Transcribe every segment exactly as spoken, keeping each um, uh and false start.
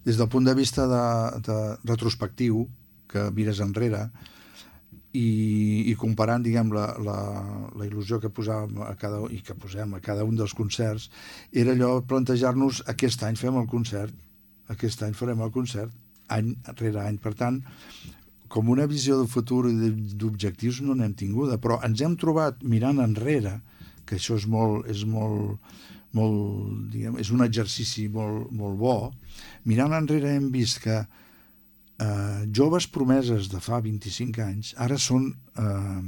des del punt de vista de, de retrospectiu, que mires enrere, i, i comparant, diguem, la, la, la il·lusió que posàvem a cada, i que posem a cada un dels concerts, era allò plantejar-nos aquest any fem el concert, aquest any farem el concert, any rere any. Per tant, com una visió del futur i d'objectius no n'hem tinguda, però ens hem trobat mirant enrere, que això és molt, és molt, molt diguem, és un exercici molt, molt bo. Mirant enrere hem vist que eh, joves promeses de fa vint-i-cinc anys ara són, eh,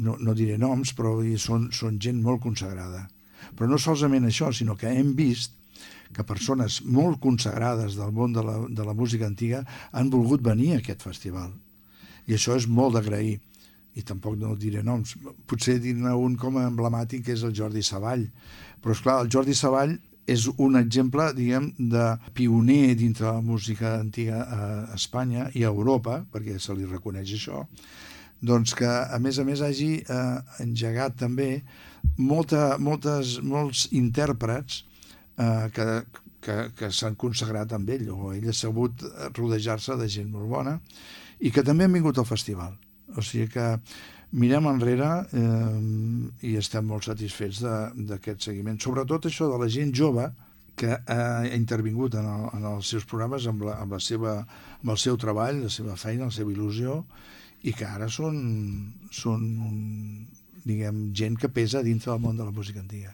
no, no diré noms, però són, són gent molt consagrada. Però no solament això, sinó que hem vist que persones molt consagrades del món de la, de la música antiga han volgut venir a aquest festival. I això és molt d'agrair. I tampoc no diré noms. Potser dir-ne un com a emblemàtic, que és el Jordi Savall. Però, esclar, el Jordi Savall és un exemple, diguem, de pioner dintre la música antiga a Espanya i a Europa, perquè se li reconeix això, doncs que, a més a més, hagi eh, engegat també molta, moltes, molts intèrprets eh, que, que, que s'han consagrat amb ell, o ell ha sabut rodejar-se de gent molt bona, i que també han vingut al festival. O sigui que mirem enrere eh, i estem molt satisfets d'aquest seguiment. Sobretot això de la gent jove que ha intervingut en, el, en els seus programes amb, la, amb, la seva, amb el seu treball, la seva feina, la seva il·lusió, i que ara són, són diguem, gent que pesa dintre del món de la música antiga.